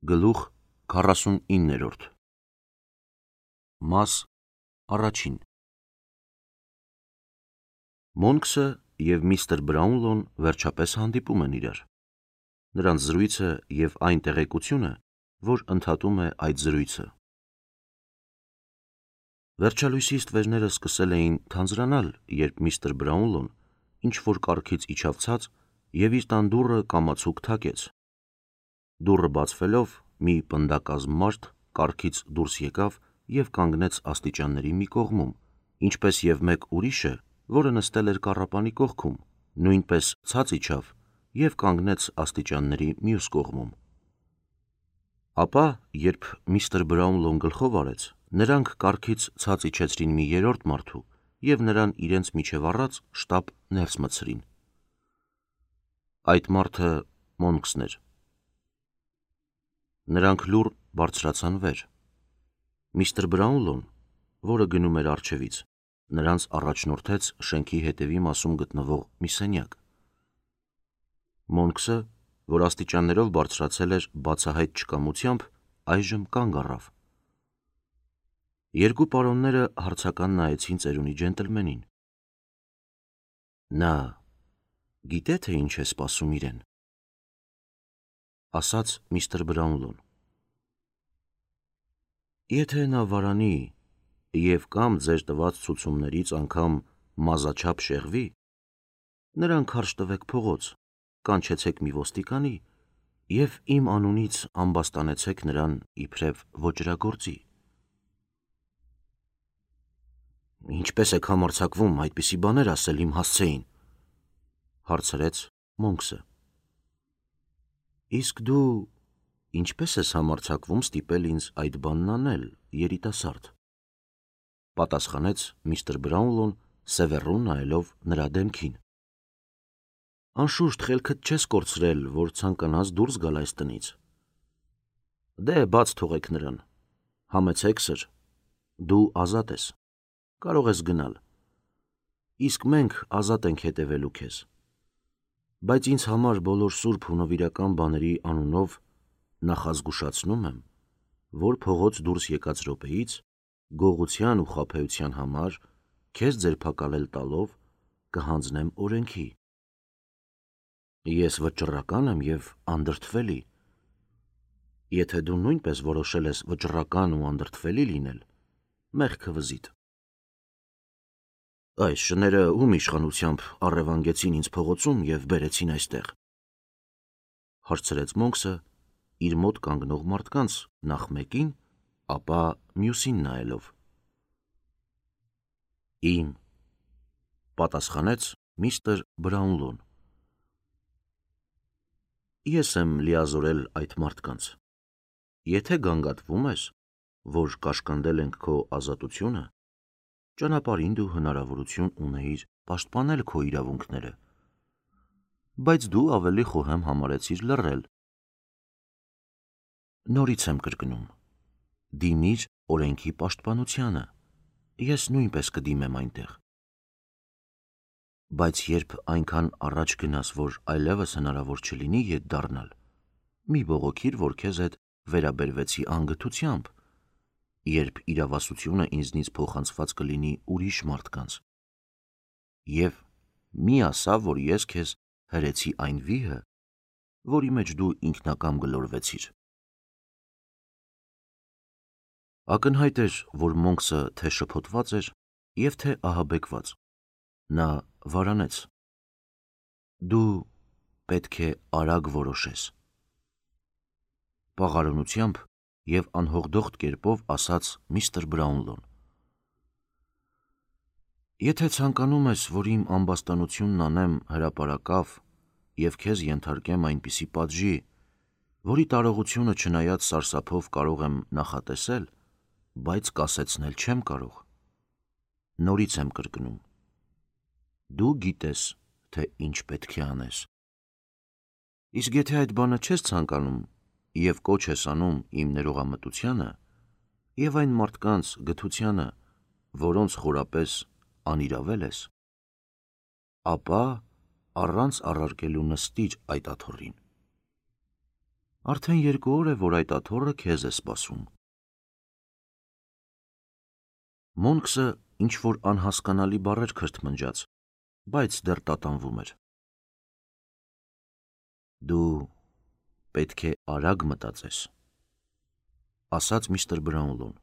Գլուխ 49 Մաս առաջին Մոնքսը և միստր Բրաունլոն վերջապես հանդիպում են իրար։ Նրանց զրույցը և այն տեղեկությունը, որ ընդհատում է այդ զրույցը։ Վերջալույսի ստվերները սկսել էին թանձրանալ, երբ միստր Բրաունլոն ինչ-որ կառքից իջավ ցած և իր տան դուռը կամացուկ թակեց։ Դուռը բացվելով, մի պնդակազմ մարդ կառքից դուրս եկավ և կանգնեց աստիճանների մի կողմում, ինչպես և մեկ ուրիշը, որը նստել էր կառապանի կողքում, նույնպես ցած իջավ և կանգնեց աստիճանների մյուս կողմում։ Ապա, երբ միստր Բրաունլոն գլխով արեց, նրանք կառքից ցած իջեցրին մի երրորդ մարդու և նրան իրենց միջև առած շտապ ներս մտցրին։ Այդ մարդը Մոնքսն էր։ Նրանք լուռ բարձրացան վեր։ Միստր Բրաունլոն, որը գնում էր առջևից, նրանց առաջնորդեց շենքի հետևի մասում գտնվող մի սենյակ։ Մոնքսը, որ աստիճաններով բարձրացել էր բացահայտ չկամությամբ, այժմ կանգ առավ։ Երկու պարոնները հարցական նայեցին ծերունի ջենտլմենին։ Նա գիտե՞, թե ինչ է սպասում իրեն, ասաց միստր Բրաունլոն։ Եթե նա վարանի և կամ ձեր տված ցուցումներից անգամ մազաչափ շեղվի, նրան քարշ տվեք փողոց, կանչեցեք մի ոստիկանի և իմ անունից ամբաստանեցեք նրան իբրև ոճրագործի։ Ինչպե՞ս եք համարձակվում այդպիսի բաներ ասել իմ հասցեին, հարցրեց Մոնքսը։ Իսկ դու ինչպե՞ս ես համարձակվում ստիպել ինձ այդ բանն անել, երիտասարդ, պատասխանեց միստր Բրաունլոն, սևեռուն նայելով նրա դեմքին։ Անշուշտ խելքդ չես կորցրել, որ ցանկանաս դուրս գալ այս տնից։ Դե բաց թողեք նրան, համեցեք սր, դու ազատ ես, կարող ես գնալ, իսկ մենք ազատ ենք հետևելու քեզ, բայց ինձ համար բոլոր սուրբ ու նվիրական բաների անունով նախազգուշացնում եմ, որ փողոց դուրս եկած րոպեից գողության ու խաբեության համար քեզ ձերբակալել տալով կհանձնեմ օրենքի։ Ես վճռական եմ և անդրդվելի։ Եթե դու նույնպես որոշել ես վճռական ու անդրդվելի լինել, մեղքը վզիտ։ Այս շները ում իշխանությամբ առևանգեցին ինձ փողոցում և բերեցին այստեղ, հարցրեց Մոնքսը իր մոտ կանգնող մարդկանց նախ մեկին, ապա մյուսին նայելով։ Իմ, պատասխանեց միստր Բրաունլոն։ Ես եմ լիազորել այդ մարդկանց։ Եթե գանգատվում ես, որ կաշկանդել ենք քո ազատությունը, ճանապարհին դու հնարավորություն ունեիր պաշտպանել քո իրավունքները, բայց դու ավելի խոհեմ համարեցիր լռել։ Նորից եմ կրկնում, դիմիր օրենքի պաշտպանությանը, ես նույնպես կդիմեմ այնտեղ։ Բայց երբ այնքան առաջ գնաս, որ այլևս հնարավոր չլինի ետ դառնալ, մի բողոքիր, որ քեզ հետ վերաբերվեցի անգթությամբ, երբ իրավասությունը ինձնից փոխանցված կլինի ուրիշ մարդկանց, և մի ասա, որ ես քեզ հրեցի այն վիհը, որի մեջ դու ինքնակամ գլորվեցիր։ Ակնհայտ էր, որ Մոնքսը թե շփոթված էր և թե ահաբեկված։ Նա վարանեց։ Դու պետք է արագ որոշես, պաղարունությամբ և անհողդոխտ կերպով ասաց միստր Բրաունլոն։ Եթե ցանկանում ես, որ իմ ամբաստանությունն անեմ հրապարակավ և քեզ ենթարկեմ այնպիսի պատժի, որի տարողությունը չնայած սարսափով կարող եմ նախատեսել, բայց կասեցնել չեմ կարող, նորից եմ կրկնում, դու գիտես, թե ինչ պետք է անես։ Իսկ եթե այդ բանը չես ցանկանում և կոչ ես անում իմ ներողամտությանը և այն մարդկանց գթությանը, որոնց խորապես անիրավել ես, ապա առանց առարկելու նստիր այդ աթոռին։ Արդեն 2 օր է, որ այդ աթոռը քեզ է սպասում։ Մոնքսը ինչ-որ անհասկանալի բառեր քրթմնջաց, բայց դեռ տատանվում էր։ Դու պետք է արագ մտածես, ասաց միստր Բրաունլոն։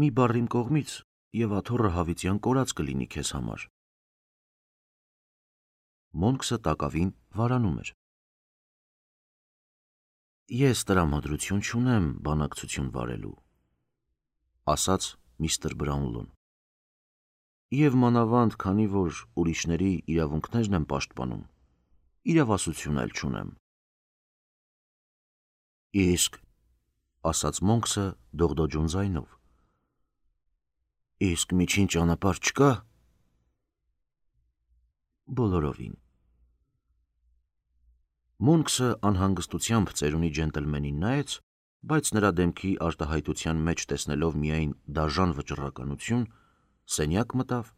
Մի բառ իմ կողմից, և աթոռը հավիտյան կորած կլինի քեզ համար։ Մոնքսը տակավին վարանում էր։ Ես տրամադրություն չունեմ բանակցություն վարելու, ասաց միստր Բրաունլոն։ Եվ մանավանդ, քանի որ ուրիշների իրավունքներն եմ պաշտպանում, իրավասություն էլ չունեմ։ Իսկ, ասաց Մոնքսը դողդոջուն ձայնով, իսկ միջին ճանապարհ չկա։ Բոլորովին։ Մոնքսը անհանգստությամբ ծերունի ջենտլմենին նայեց, բայց նրա դեմքի արտահայտության մեջ տեսնելով միայն դաժան վճռականություն, սենյակ մտավ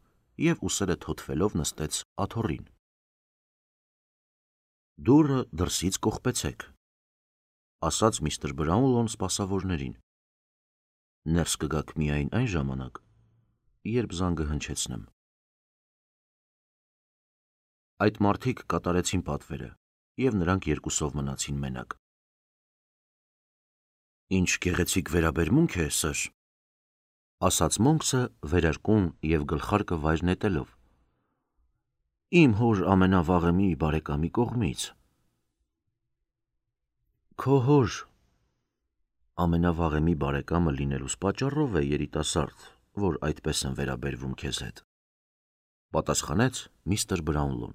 և ուսերը թոթվելով նստեց աթոռին։ Դուռը դրսից կողպեցեք, ասաց միստր Բրաունլոն սպասավորներին։ Ներս կգաք միայն այն ժամանակ, երբ զանգը հնչեցնեմ։ Այդ մարդիկ կատարեցին պատվերը, և նրանք երկուսով մնացին մենակ։ Ինչ գեղեցիկ վերաբերմունք է, սըր, ասաց Մոնքսը վերարկուն և գլխարկը վայր նետելով։ Իմ հոր ամենավաղեմի բարեկամի կողմից։ Քո հոր ամենավաղեմի բարեկամը լինելուս պատճառով է, երիտասարդ, որ այդպես եմ վերաբերվում քեզ հետ, պատասխանեց միստր Բրաունլոն։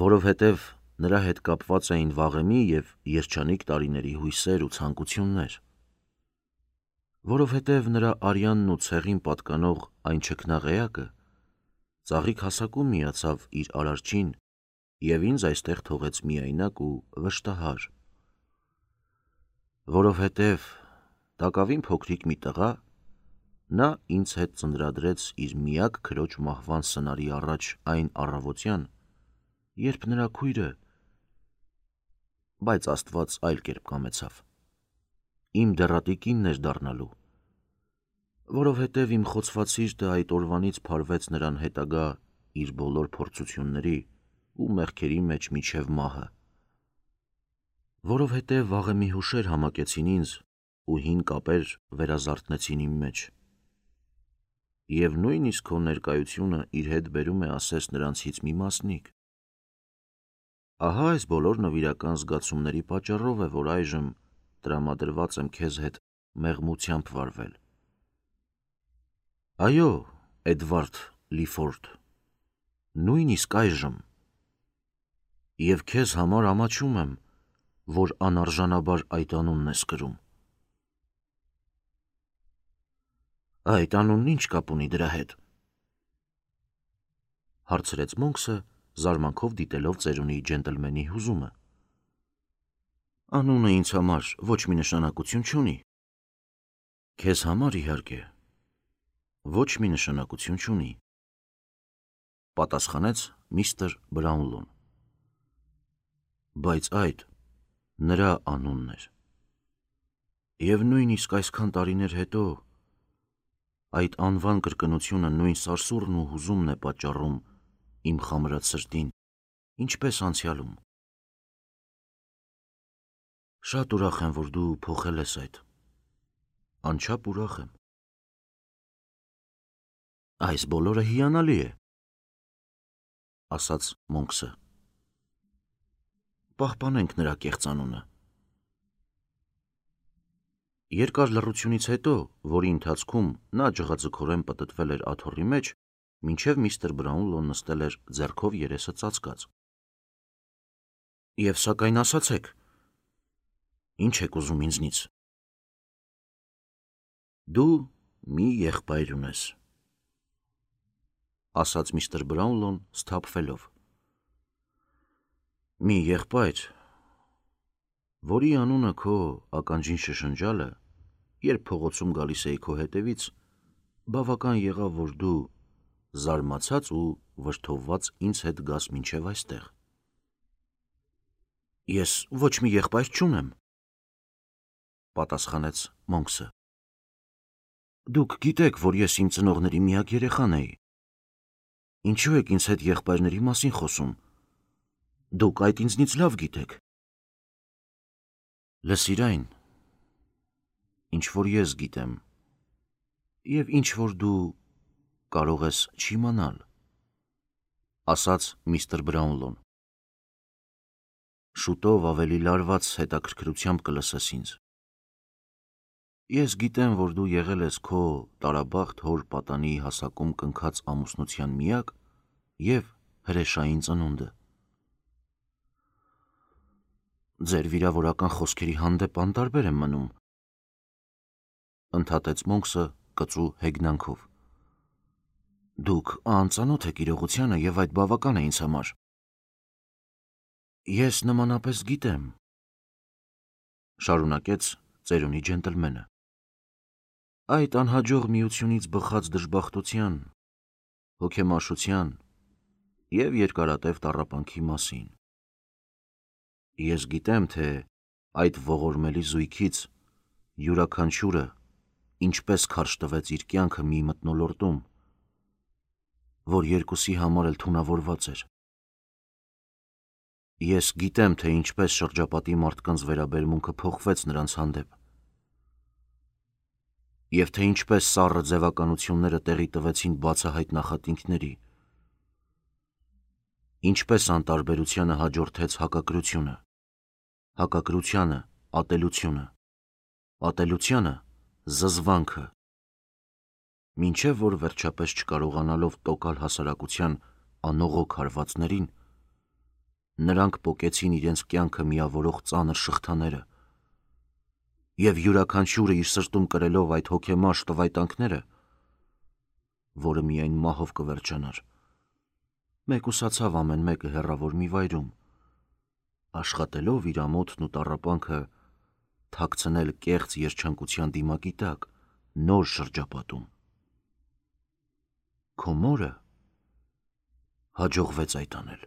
Որովհետև նրա հետ կապված էին վաղեմի և երջանիկ տարիների հույսեր ու ցանկություններ, որովհետև նրա արյանն ու ցեղին պատկանող այն չքնաղեակը ծաղիկ հասակում միացավ իր արարչին և ինձ այստեղ թողեց միայնակ ու վշտահար, որովհետև տակավին փոքրիկ մի տղա նա ինձ հետ ծնրադրեց իր միակ քրոջ մահվան սնարի առաջ այն առավոտյան, երբ նրա քույրը, բայց Աստված այլ կերպ կամեցավ, իմ դեռատի կինն էր դառնալու, որովհետև իմ խոցված սիրտը այդ օրվանից փարվեց նրան հետագա իր բոլոր փորձությունների ու մեղքերի մեջ մինչև մահը, որովհետև վաղեմի հուշեր համակեցին ինձ ու հին կապեր վերազարթնեցին իմ մեջ, և նույնիսկ քո ներկայությունը իր հետ բերում է ասես նրանցից մի մասնիկ։ Ահա այս բոլոր նվիրական զգացումների պատճառով է, որ այժմ տրամադրված եմ քեզ հետ մեղմությամբ վարվել։ Այո, Էդվարդ Լիֆորդ, նույնիսկ այժմ, և քեզ համար ամաչում եմ, որ անարժանաբար այդ անունն ես կրում։ Այդ անունն ինչ կապ ունի դրա հետ, հարցրեց Մոնքսը, զարմանքով դիտելով ծերունի ջենտլմենի հուզումը։ Անունը ինձ համար ոչ մի նշանակություն չունի։ Քեզ համար, իհարկե, ոչ մի նշանակություն չունի, պատասխանեց միստր Բրաունլոն։ Բայց այդ նրա անունն էր։ Եվ նույնիսկ այսքան տարիներ հետո այդ անվան կրկնությունը նույն սարսուռն ու հուզումն է պատճառում իմ խամրած սրտին, ինչպես անցյալում։ Շատ ուրախ եմ, որ դու փոխել ես այդ, անչափ ուրախ եմ։ Այս բոլորը հիանալի է, ասաց Մոնքսը։ Պահպանենք նրա կեղծ անունը։ Երկար լռությունից հետո, որի ընթացքում նա ջղաձգորեն պտտվել էր աթոռի մեջ, մինչև միստր Բրաունլոն նստել էր ձեռքով երեսը ծածկած։ Եվ սակայն ասացեք, ինչ եք ուզում ինձնից։ Դու մի եղբայր ունես, ասաց միստր Բրաունլոն սթափվելով։ Մի եղբայր, որի անունը քո ականջին շշնջալը, երբ փողոցում գալիս էի քո հետևից, բավական եղավ, որ դու զարմացած ու վրդովված ինձ հետ գաս մինչև այստեղ։ Ես ոչ մի եղբայր չունեմ, պատասխանեց Մոնքսը։ Դուք գիտեք, որ ես իմ ծնողների միակ երեխան էի։ Ինչու եք ինձ հետ եղբայրների մասին խոսում։ Դուք այդ ինձնից լավ գիտեք։ Լսիր այն, ինչ որ ես գիտեմ, և ինչ որ դու կարող ես չիմանալ, ասաց միստր Բրաունլոն։ Շուտով ավելի լարված հետաքրքրությամբ կլսես ինձ։ Ես գիտեմ, որ դու եղել ես քո տարաբախտ հոր պատանի հասակում կնքած ամուսնության միակ և հրեշային ծնունդը։ Ձեր վիրավորական խոսքերի հանդեպ անտարբեր եմ մնում, ընդհատեց Մոնքսը կծու հեգնանքով։ Դուք անծանոթ եք իրողությանը և այդ բավական է ինձ համար։ Ես նմանապես գիտեմ, շարունակեց ծերունի ջենտլմենը, այդ անհաջող միությունից բխած դժբախտության, հոգեմաշության և երկարատև տառապանքի մասին։ Ես գիտեմ, թե այդ ողորմելի զույգից յուրաքանչյուրը ինչպես քարշ տվեց իր կյանքը մի մթնոլորտում, որ երկուսի համար էլ թունավորված էր։ Ես գիտեմ, թե ինչպես շրջապատի մարդկանց վերաբերմունքը փոխվեց նրանց հանդեպ, և թե ինչպես սառը ձևականությունները տեղի տվեցին բացահայտ նախատինքների, ինչպես անտարբերությանը հաջորդեց հակակրությունը, հակակրությանը ատելությունը, ատելությանը զզվանքը, մինչև որ վերջապես չկարողանալով տոկալ հասարակության անողոք հարվածներին, նրանք պոկեցին իրենց կյանքը միավորող ծանր շղթաները, և յուրաքանչյուրը իր սրտում կրելով այդ հոգեմաշ տվայտանքները, որը միայն մահով կվերջանար, մեկուսացավ ամեն մեկը հեռավոր մի վայրում, աշխատելով իր ամոթն ու տառապանքը թաքցնել կեղծ երջանկության դիմակի տակ, նոր շրջապատում։ Քո մորը հաջողվեց այդ անել։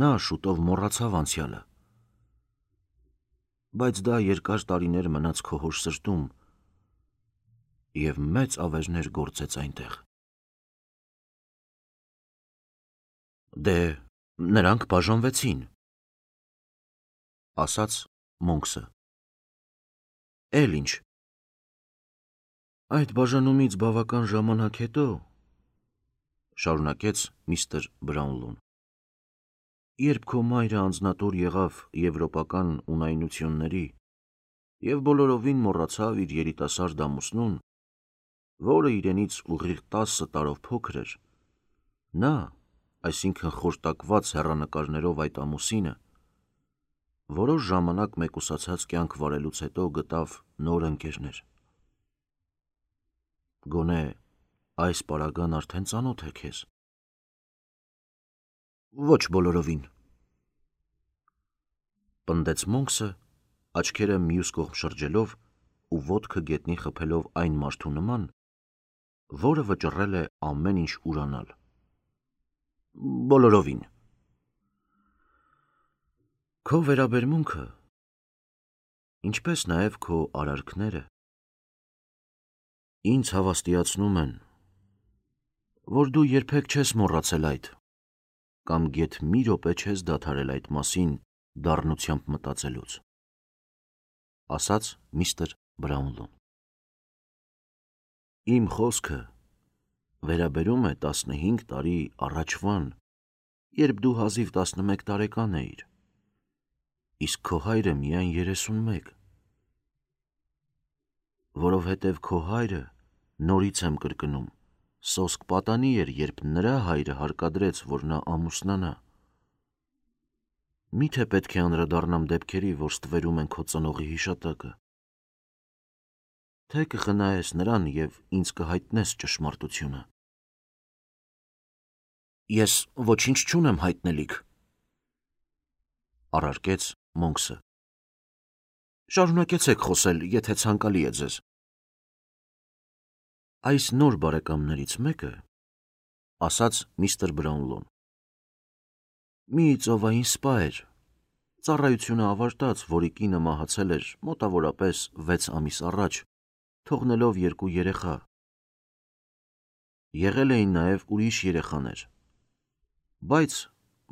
Նա շուտով մոռացավ անցյալը, բայց դա երկար տարիներ մնաց քո հոր սրտում և մեծ ավերներ գործեց այնտեղ։ Դե, նրանք բաժանվեցին, ասաց Մոնքսը։ Էլ ինչ։ Այդ բաժանումից բավական ժամանակ հետո, շարունակեց միստր Բրաունլոն, երբ քո մայրը անձնատուր եղավ եվրոպական ունայնությունների և բոլորովին մոռացավ իր երիտասարդ ամուսնուն, որը իրենից ուղիղ 10 տարով փոքր էր, նա, այսինքն խորտակված հեռանկարներով այդ ամուսինը, որոշ ժամանակ մեկուսացած կյանք վարելուց հետո գտավ նոր ընկերներ։ Գոնե այս պարագան արդեն ծանոթ է քեզ։ Ոչ բոլորովին, պնդեց Մոնքսը, աչքերը մյուս կողմ շրջելով ու ոտքը գետնին խփելով այն մարդու նման, որը վճռել է ամեն ինչ ուրանալ։ Բոլորովին։ Քո վերաբերմունքը, ինչպես նաև քո արարքները, ինձ հավաստիացնում են, որ դու երբեք չես մոռացել այդ, կամ գեթ մի րոպե չես դադարել այդ մասին դառնությամբ մտածելուց, ասաց միստր Բրաունլոն։ Իմ խոսքը վերաբերում է 15 տարի առաջվան, երբ դու հազիվ 11 տարեկան էիր, իսկ քո հայրը միայն 31, որովհետև քո հայրը, նորից եմ կրկնում, սոսկ պատանի էր, երբ նրա հայրը հարկադրեց, որ նա ամուսնանա։ Միթե պետք է անդրադառնամ դեպքերի, որ ստվերում են քո ծնողի հիշատակը, թե կխնայես նրան և ինձ կհայտնես ճշմարտությունը։ Ես ոչինչ չունեմ հայտնելիք, առարկեց Մոնքսը։ Շարունակեցեք խոսել, եթե ցանկալի է ձեզ։ Այս նոր բարեկամներից մեկը, ասաց միստր Բրաունլոն, Մի ծովային սպա էր։ Ծառայությունը ավարտած, որի կինը մահացել էր մոտավորապես 6 ամիս առաջ, թողնելով 2 երեխա։ Եղել էին նաև ուրիշ երեխաներ, բայց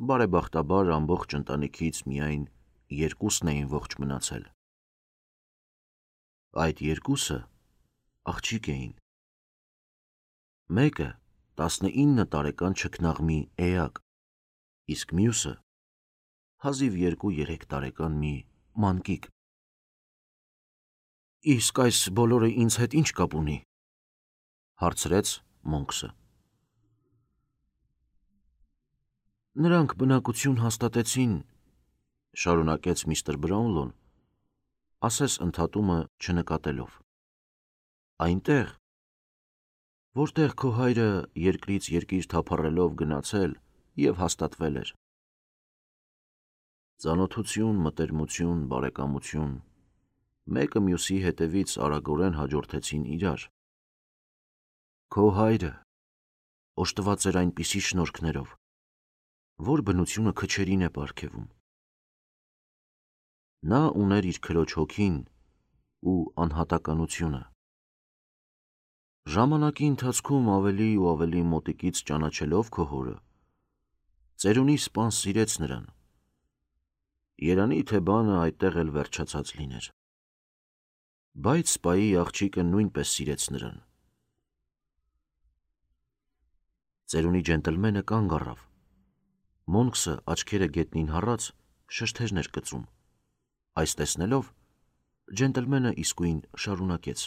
բարեբախտաբար ամբողջ ընտանիքից միայն 2-ն էին ողջ մնացել։ Այդ 2-ը աղջիկ էին։ Մեկը 19 տարեկան չքնաղ մի էակ, իսկ մյուսը հազիվ 2-3 տարեկան մի մանկիկ։ Իսկ այս բոլորը ինձ հետ ինչ կապ ունի, հարցրեց Մոնքսը։ Նրանք բնակություն հաստատեցին, շարունակեց միստր Բրաունլոն, ասես ընդհատումը չնկատելով։ Այնտեղ, որտեղ քո հայրը երկրից երկիր թափառելով գնացել և հաստատվել էր։ Ծանոթություն, մտերմություն, բարեկամություն, մեկը մյուսի հետևից արագորեն հաջորդեցին իրար։ Քո հայրը օժտված էր այնպիսի շնորհքներով, որ բնությունը քչերին է պարգևում։ Նա ուներ իր քրոջ հոգին ու անհատականությունը։ Ժամանակի ընթացքում ավելի ու ավելի մոտիկից ճանաչելով քո հորը, ծերունի սպան սիրեց նրան։ Երանի թե բանը այդտեղ էլ վերջացած լիներ։ Բայց սպայի աղջիկը նույնպես սիրեց նրան։ Ծերունի ջենտլմենը կանգ առավ։ Մոնքսը աչքերը գետնին հառած շշթերներ կծում։ Այս տեսնելով, ջենտլմենը իսկույն շարունակեց.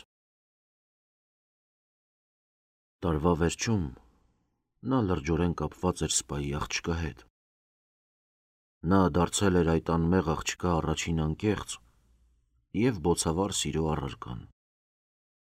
Տարվա վերջում նա լրջորեն կապված էր սպայի աղջկա հետ։ Նա դարձել էր այդ անմեղ աղջկա առաջին անկեղծ և բոցավառ սիրո առարկան։